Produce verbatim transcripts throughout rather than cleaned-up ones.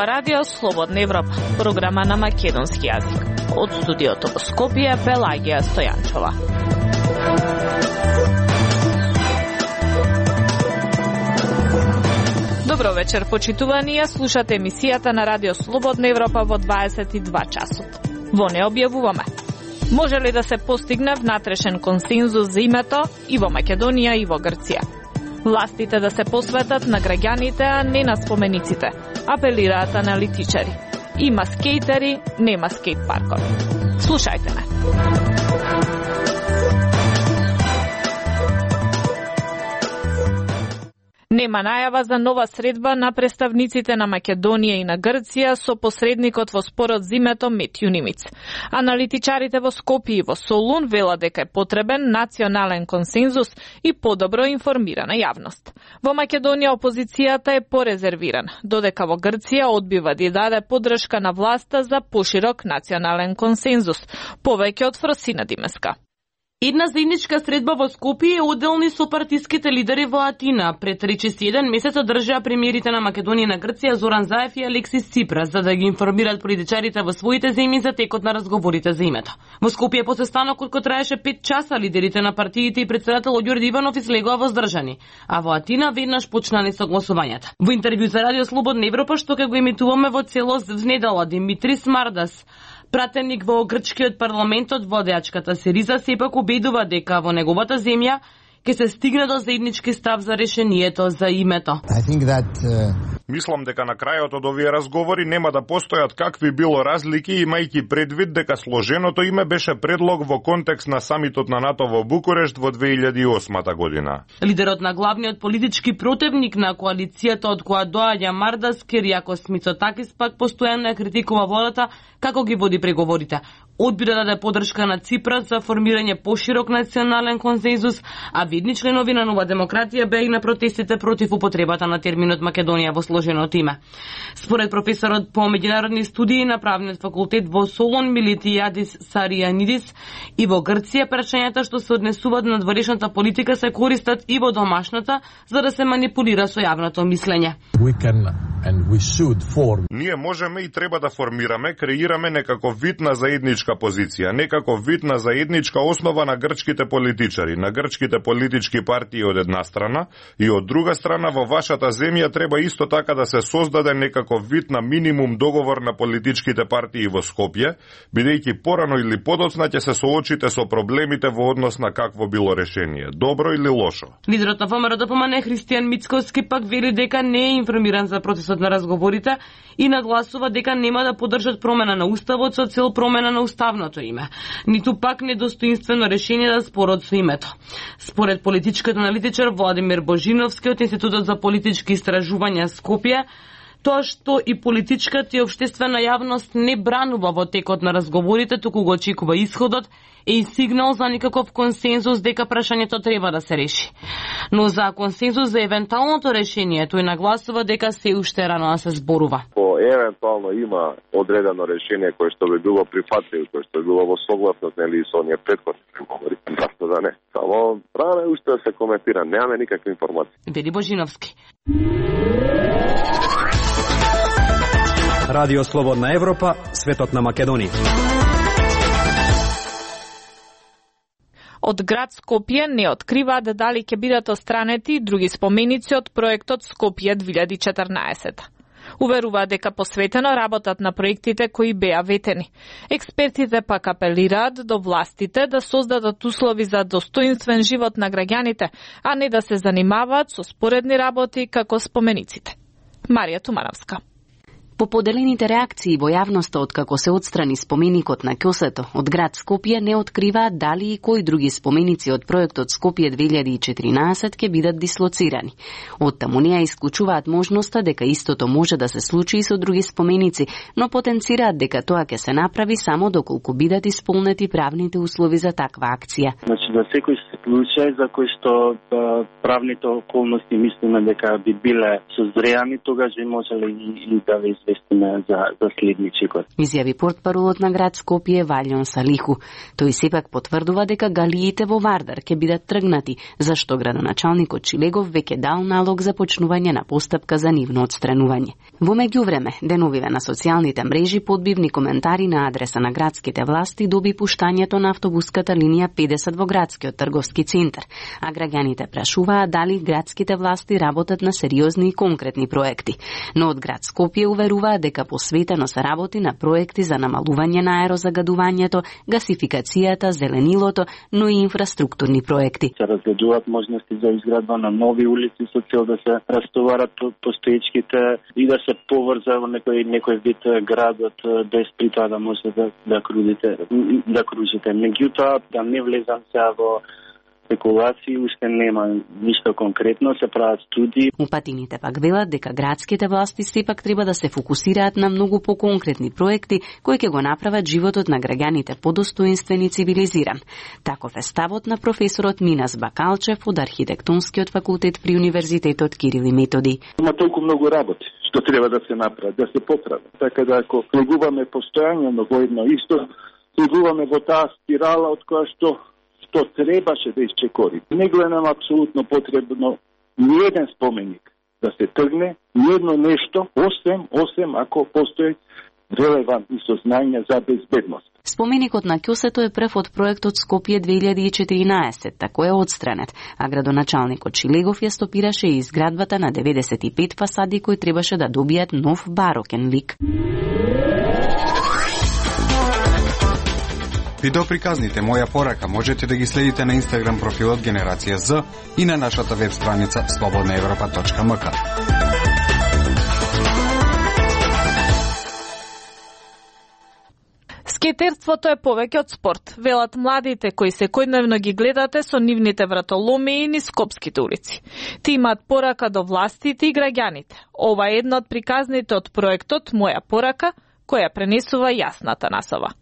Ова радио Слободна Европа, програма на македонски јазик. Од студиото во Скопје, Пелагија Стојанчова. Добро вечер, почитувани, ја слушате емисијата на радио Слободна Европа во дваесет и два часот. Во не објавуваме. Може ли да се постигне внатрешен консензус за името и во Македонија и во Грција? Властите да се посветат на граѓаните, а не на спомениците, апелираат аналитичари. Има скейтери, нема скейт паркови. Слушајте ме. Нема најава за нова средба на представниците на Македонија и на Грција со посредникот во спорот за името Метју Нимиц. Аналитичарите во Скопје и во Солун велат дека е потребен национален консензус и подобро информирана јавност. Во Македонија опозицијата е порезервирана, додека во Грција одбива да даде поддршка на власта за поширок национален консензус, повеќе од Фросина Димеска. Една заедничка средба во Скопје е одделни со партиските лидери во Атина. Пред речиси еден месец одржаа премиерите на Македонија и на Грција Зоран Заев и Алексис Ципрас за да ги информираат политичарите во своите земји за текот на разговорите за името. Во Скопје после станокот кој траеше пет часа лидерите на партиите и председателот Ѓорѓе Иванов излегоа воздржани, а во Атина веднаш почнале согласувањата. Во интервју за Радио Слободна Европа што ќе го емитуваме во целост внедела, Димитрис Мардас, пратеник во грчкиот парламентот, водеачката Сириза сепак убедува дека во неговата земја ќе се стигне до заеднички став за решението за името. That, uh... Мислам дека на крајот од овие разговори нема да постојат какви било разлики, имајќи предвид дека сложеното име беше предлог во контекст на самитот на НАТО во Букурешт во две илјади и осма година. Лидерот на главниот политички противник на коалицијата од која доаѓа Мардас, Киријакос Мицотакис, пак постојано ја критикува владата како ги води преговорите. Одбира да даде поддршка на Ципрас за формирање поширок национален консензус, а видни членови на Нова демократија беа и на протестите против употребата на терминот Македонија во сложеното име. Според професорот по меѓународни студии на правниот факултет во Солон Милитијадис Саријанидис, и во Грција прашањата што се однесуваат на надворешната политика се користат и во домашната за да се манипулира со јавното мислење. Ние можеме и треба да формираме, креираме некаков вид на заедничка позиција, некако вид на заедничка основа на грчките политичари, на грчките политички партии од една страна и од друга страна во вашата земја треба исто така да се создаде некаков вид на минимум договор на политичките партии во Скопје, бидејќи порано или подоцна ќе се соочите со проблемите во однос на какво било решение, добро или лошо. Лидерот на ВМРО ДПМН Христијан Мицковски пак вели дека не е информиран за процесот на разговорите и нагласува дека нема да поддржат промена на уставот со цел промена на уставното име, ниту пак недостоинствено решение за спорот со името. Според политичкиот аналитичар Владимир Божиновски од Институтот за политички истражувања Скопје, тоа што и политичката и општествена јавност не бранува во текот на разговорите, туку го очекува исходот, е и сигнал за никаков консензус дека прашањето треба да се реши. Но за консензус за евентуалното решение тој нагласува дека се уште рано да се зборува. По евентуално има одредено решение кое што би било прифатливо, кое што би било во согласност нели со оние претходни преговори, зашто да не. Само рано е уште да се коментира, немаме никакви информации. Вели Божиновски. Радио Слободна Европа, светот на Македонија. Од град Скопје не откриваат дали ќе бидат отстранети други споменици од проектот Скопје две илјади и четрнаесет. Уверуваат дека посветено работат на проектите кои беа ветени. Експертите пак апелираат до властите да создадат услови за достоинствен живот на граѓаните, а не да се занимаваат со споредни работи како спомениците. Марија Тумановска. По поделените реакции во јавноста откако се отстрани споменикот на Ќосето, од град Скопје не откриваат дали и кои други споменици од проектот Скопје две илјади и четрнаесет ќе бидат дислоцирани. Од таму не ја исклучуваат можноста дека истото може да се случи и со други споменици, но потенцираат дека тоа ќе се направи само доколку бидат исполнети правните услови за таква акција. Значи за секој случај за кој што да, правните околности мислиме дека би биле созреани, тогаш би можеле и, и да ве известиме за, за следничекот. Изјави портпаролот на град Скопје Валјон Салиху. Тој сепак потврдува дека галиите во Вардар ќе бидат тргнати, зашто градоначалникот Чилегов веќе дал налог за почнување на постапка за нивно отстранување. Во меѓувреме, деновиве на социјалните мрежи подбивни коментари на адреса на градските власти доби пуштањето на автобуската линија педесет во градскиот трговски центар, а граѓаните прашуваат дали градските власти работат на сериозни и конкретни проекти. Но од град Скопје уверуваат дека посветено се работи на проекти за намалување на аерозагадувањето, гасификацијата, зеленилото, но и инфраструктурни проекти. Се разгледуваат можности за изградба на нови улици со цел да се растоварат постоечките и да се поврза во некој некој вид градот без при тоа да може да да кружите да кружите. Меѓутоа да не влезам сега во спекулации, уште нема ништо конкретно, се прават студии. Упатините пак велат дека градските власти сепак треба да се фокусираат на многу поконкретни проекти кои ќе го направат животот на граѓаните подостоинствен и цивилизиран. Таков е ставот на професорот Минас Бакалчев од Архитектонскиот факултет при Универзитетот Кирил и Методи. Има толку многу работи што треба да се направи, да се поправи. Така да ако влегуваме постојано во едно исто, влегуваме во таа спирала од која што што требаше да исчекори. Не гледам апсолутно потребно ниеден споменик да се тргне, ниедно нешто, осем, осем ако постои релевантни сознања за безбедност. Споменикот на ќосето е прв од проектот Скопје две илјади и четиринаесет, тако е отстранет, а градоначалникот Чилегов ја стопираше и изградбата на деветдесет и пет фасади кои требаше да добијат нов барокен лик. Видеоприказните Моја порака можете да ги следите на Инстаграм профилот Генерација З и на нашата веб страница слободна европа точка ем ка. Скејтерството е повеќе од спорт, велат младите кои секојдневно ги гледате со нивните вратоломии низ скопските улици. Ти имаат порака до властите и граѓаните. Ова е една од приказните од проектот Моја порака, која пренесува Јасната Насова.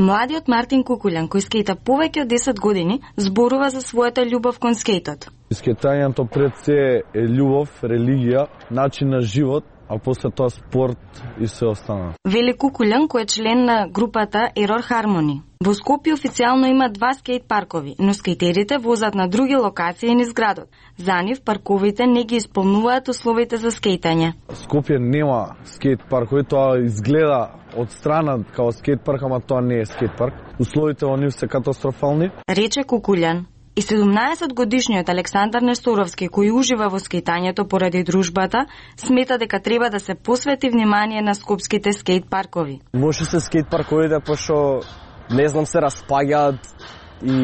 Младиот Мартин Кукуљан, кој скејта повеќе од десет години, зборува за својата љубов кон скејтот. Скејтањето пред се е љубов, религија, начин на живот, а после тоа спорт и се остана. Вели Кукуљан, кој е член на групата Error Harmony. Во Скопје официјално има два скејт паркови, но скејтерите возат на други локации низ градот. За нив парковите не ги исполнуваат условите за скејтање. Скопје нема скејт паркови, тоа изгледа од страна као скејт парк, ама тоа не е скејт парк. Условите во нив се катастрофални. Рече Кукуљан. И седумнаесет годишниот Александар Несторовски, кој ужива во скејтањето поради дружбата, смета дека треба да се посвети внимание на скопските скејт паркови. Може се скејт парковите, пошто не знам се распаѓаат и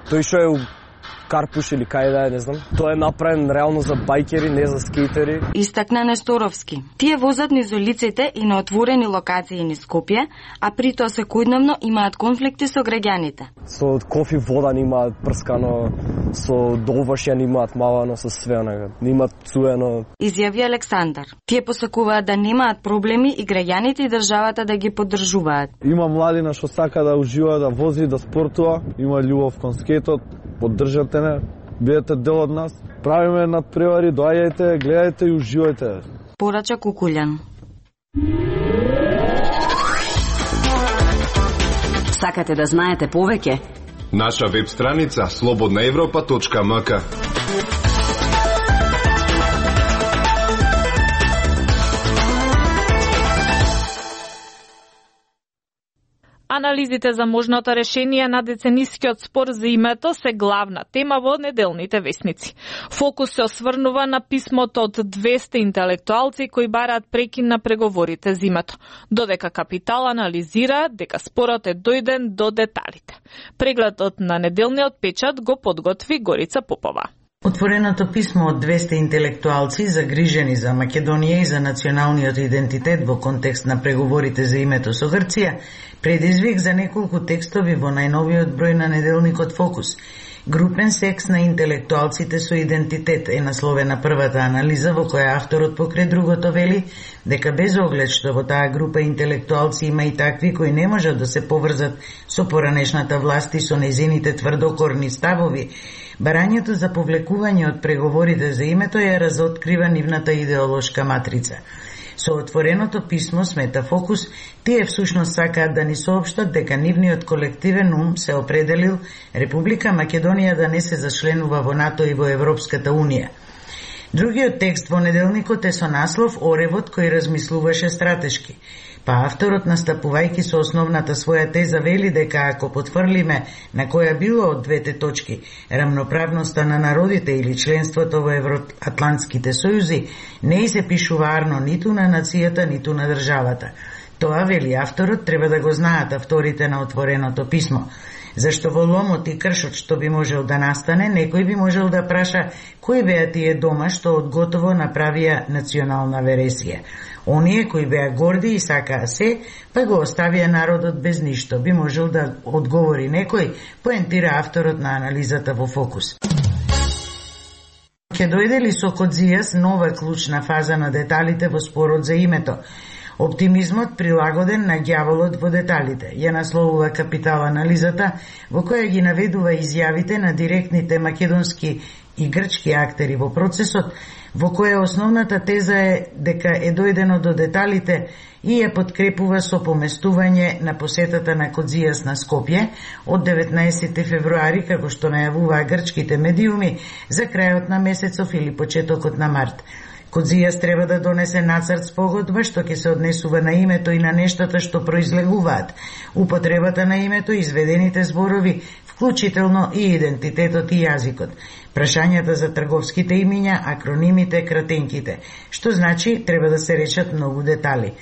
тој што е у Карпуш или кај да е, не знам. Тоа е направен реално за бајкери, не за скејтери. Истакна Несторовски. Тие возат низ улиците и на отворени локации низ Скопје, а при тоа секојдневно имаат конфликти со граѓаните. Со кофи вода немаат прскано, со долбашја немаат мавано, со све онага. Немаат цуено. Изјави Александар. Тие посакуваат да немаат проблеми и граѓаните и државата да ги поддржуваат. Има младина што сака да ужива, да вози, да спортува, има љубов кон скејтот. Поддржате не, бидете дел од нас. Правиме надпревари, доаѓајте, гледајте и уживајте. Порача Кукуљан. Сакате да знаете повеќе? Наша веб страница слободна европа точка ем ка. Анализите за можното решение на деценискиот спор за името се главна тема во неделните весници. Фокус се осврнува на писмото од двесте интелектуалци кои бараат прекин на преговорите за името, додека Капитал анализира дека спорот е дојден до деталите. Прегледот на неделниот печат го подготви Горица Попова. Отвореното писмо од двесте интелектуалци загрижени за Македонија и за националниот идентитет во контекст на преговорите за името со Грција предизвик за неколку текстови во најновиот број на неделникот Фокус. Групен секс на интелектуалците со идентитет е насловена првата анализа во која авторот покрај другото вели дека без оглед што во таа група интелектуалци има и такви кои не можат да се поврзат со поранешната власт и со незините тврдокорни ставови, барањето за повлекување од преговорите за името ја разоткрива нивната идеолошка матрица. Со отвореното писмо, смета Фокус, тие всушност сакаат да ни соопштат дека нивниот колективен ум се определил Република Македонија да не се зачленува во НАТО и во Европската Унија. Другиот текст во неделникот е со наслов "Оревот кој размислуваше стратешки". Па авторот, настапувајќи со основната своја теза, вели дека ако потврлиме на која било од двете точки, рамноправноста на народите или членството во Евроатлантските сојузи, не и се пишува арно ниту на нацијата, ниту на државата. Тоа, вели авторот, треба да го знаат авторите на отвореното писмо. Зашто во ломот и кршот што би можел да настане, некој би можел да праша кои беа тие дома што од готово направија национална вересија. Оние кои беа горди и сакаа се, па го оставија народот без ништо, би можел да одговори некој, поентира авторот на анализата во Фокус. Ке дојде ли со Кодзијас нова клучна фаза на деталите во спорот за името? Оптимизмот прилагоден на ѓаволот во деталите, ја насловува Капитал анализата, во која ги наведува изјавите на директните македонски и грчки актери во процесот, во која основната теза е дека е дојдено до деталите и ја подкрепува со поместување на посетата на Кодзијас на Скопје од деветнаесети февруари, како што најавуваа грчките медиуми, за крајот на месецов или почетокот на март. Кодзијас треба да донесе нацрт спогодба што ќе се однесува на името и на нештата што произлегуваат, употребата на името, изведените зборови, вклучително и идентитетот и јазикот, прашањата за трговските имиња, акронимите, кратенките, што значи треба да се речат многу детали.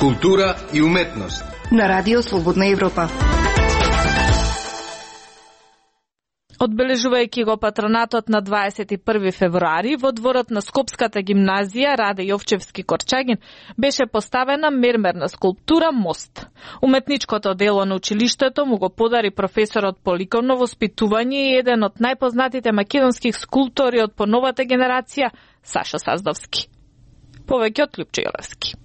Култура и уметност на Радио Слободна Европа. Одбележувајќи го патронатот на дваесет и први февруари, во дворот на Скопската гимназија Раде Јовчевски Корчагин беше поставена мермерна скулптура Мост. Уметничкото дело на училиштето му го подари професорот по ликовно воспитување и еден од најпознатите македонски скулптори од поновата генерација, Сашо Саздовски. Повеќе од Лјупчо Јолевски.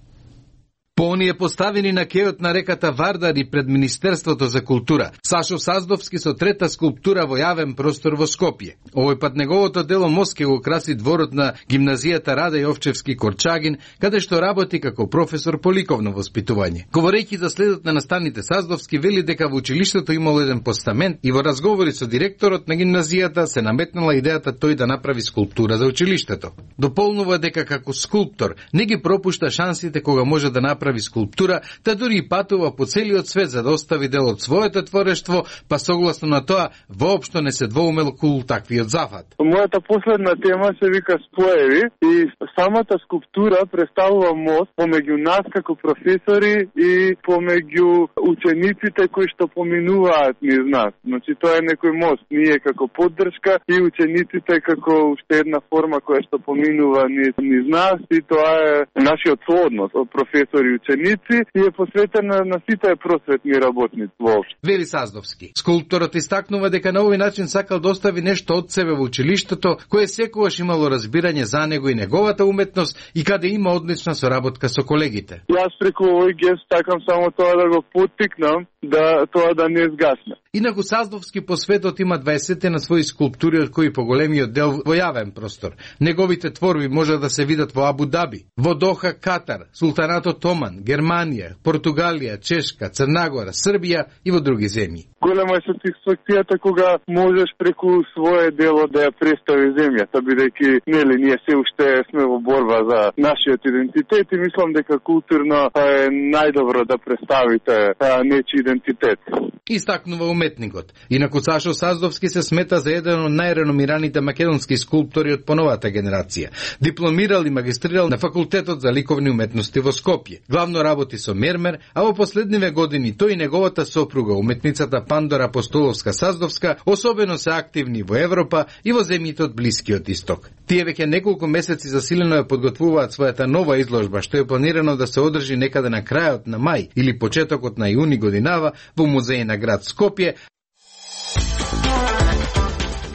По оние поставени на кејот на реката Вардар и пред Министерството за култура, Сашо Саздовски со трета скулптура во јавен простор во Скопје. Овој пат неговото дело Мост ке го краси дворот на гимназијата Раде Јовчевски Корчагин, каде што работи како професор по ликовно воспитување. Говорејќи за следот на наставните, Саздовски вели дека во училиштето имало еден постамент и во разговори со директорот на гимназијата се наметнала идејата тој да направи скулптура за училиштето. Дополнува дека како скулптор не ги пропушта шансите кога може да направи скулптура, та дури и патува по целиот свет за да остави дел од своето творештво, па согласно на тоа воопшто не се двоумел кул таквиот зафат. Мојата последна тема се вика Споеви и самата скулптура представува мост помеѓу нас како професори и помеѓу учениците кои што поминуваат низ нас. Значи тоа е некој мост, ние како поддршка и учениците како уште една форма која што поминува низ, низ нас, и тоа е нашиот сооднос од професори и ученици и е посветена на сите просветни работници воопшто. Вели Саздовски. Скулпторот истакнува дека на овој начин сакал да остави нешто од себе во училиштето, кое секогаш имало разбирање за него и неговата уметност и каде има одлична соработка со колегите. Јас преку овој гест сакам само тоа да го поттикнам да тоа да не згасне. Инаку Саздовски по светот има дваесет на своји скулптури, од кои поголемиот дел во јавен простор. Неговите творби може да се видат во Абу Даби, во Доха, Катар, Султанатот Оман, Германија, Португалија, Чешка, Црнагора, Србија и во други земји. Голема е сатисфакцијата кога можеш преку свое дело да ја представи земјата, бидејќи нели ние се уште сме во борба за нашиот идентитет и мислам дека културно е најдобро да представите нечи идентитет. Истакнува уметникот. Инаку Сашо Саздовски се смета за еден од најреномираните македонски скулптори од поновата генерација. Дипломирал и магистрирал на факултетот за ликовни уметности во Скопје. Главно работи со мермер, а во последниве години тој и неговата сопруга, уметницата Пандора Апостоловска Саздовска, особено се активни во Европа и во земјите од Блискиот Исток. Тие веќе неколку месеци засилено ја подготвуваат својата нова изложба, што е планирано да се одржи некаде на крајот на мај или почетокот на јуни годинава во музеј на град Скопје.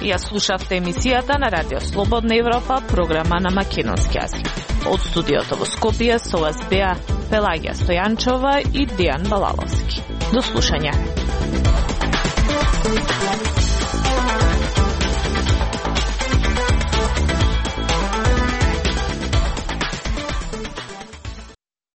Ја слушавте емисијата на Радио Слободна Европа, програма на македонски јазик. Од студиото во Скопје со вас беа Пелагија Стојанчова и Дијан Балаловски. До слушање.